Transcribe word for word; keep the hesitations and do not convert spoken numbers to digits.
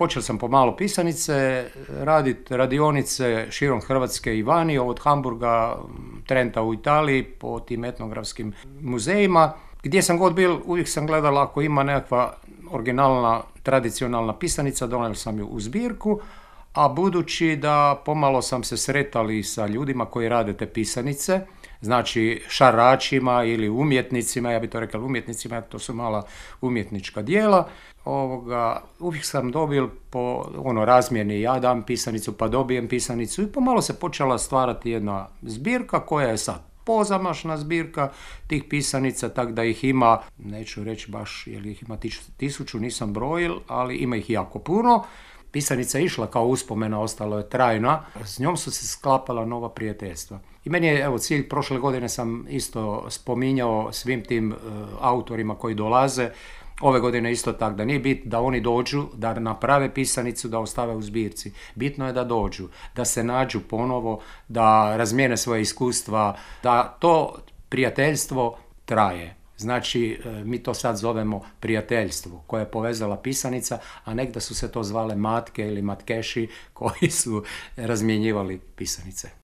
počeo sam pomalo pisanice, raditi radionice širom Hrvatske i vani, od Hamburga, Trenta u Italiji, po tim etnografskim muzejima. Gdje sam god bil, uvijek sam gledala ako ima nekakva originalna, tradicionalna pisanica, donio sam ju u zbirku, a budući da pomalo sam se sretali sa ljudima koji rade te pisanice, znači šaračima ili umjetnicima, ja bi to rekao umjetnicima, to su mala umjetnička djela, ovoga, uvijek sam dobil po ono razmjeni, ja dam pisanicu pa dobijem pisanicu i pomalo se počela stvarati jedna zbirka koja je sad pozamašna zbirka tih pisanica, tak da ih ima, neću reći baš jer ih ima tisuću, nisam brojil, ali ima ih jako puno. Pisanica je išla kao uspomena, ostalo je trajna, s njom su se sklapala nova prijateljstva. I meni je, evo, cilj, prošle godine sam isto spominjao svim tim uh, autorima koji dolaze, ove godine isto tako, da nije bit da oni dođu, da naprave pisanicu, da ostave u zbirci. Bitno je da dođu, da se nađu ponovo, da razmijene svoje iskustva, da to prijateljstvo traje. Znači, mi to sad zovemo prijateljstvo koje je povezala pisanica, a nekda su se to zvale matke ili matkeši koji su razmjenjivali pisanice.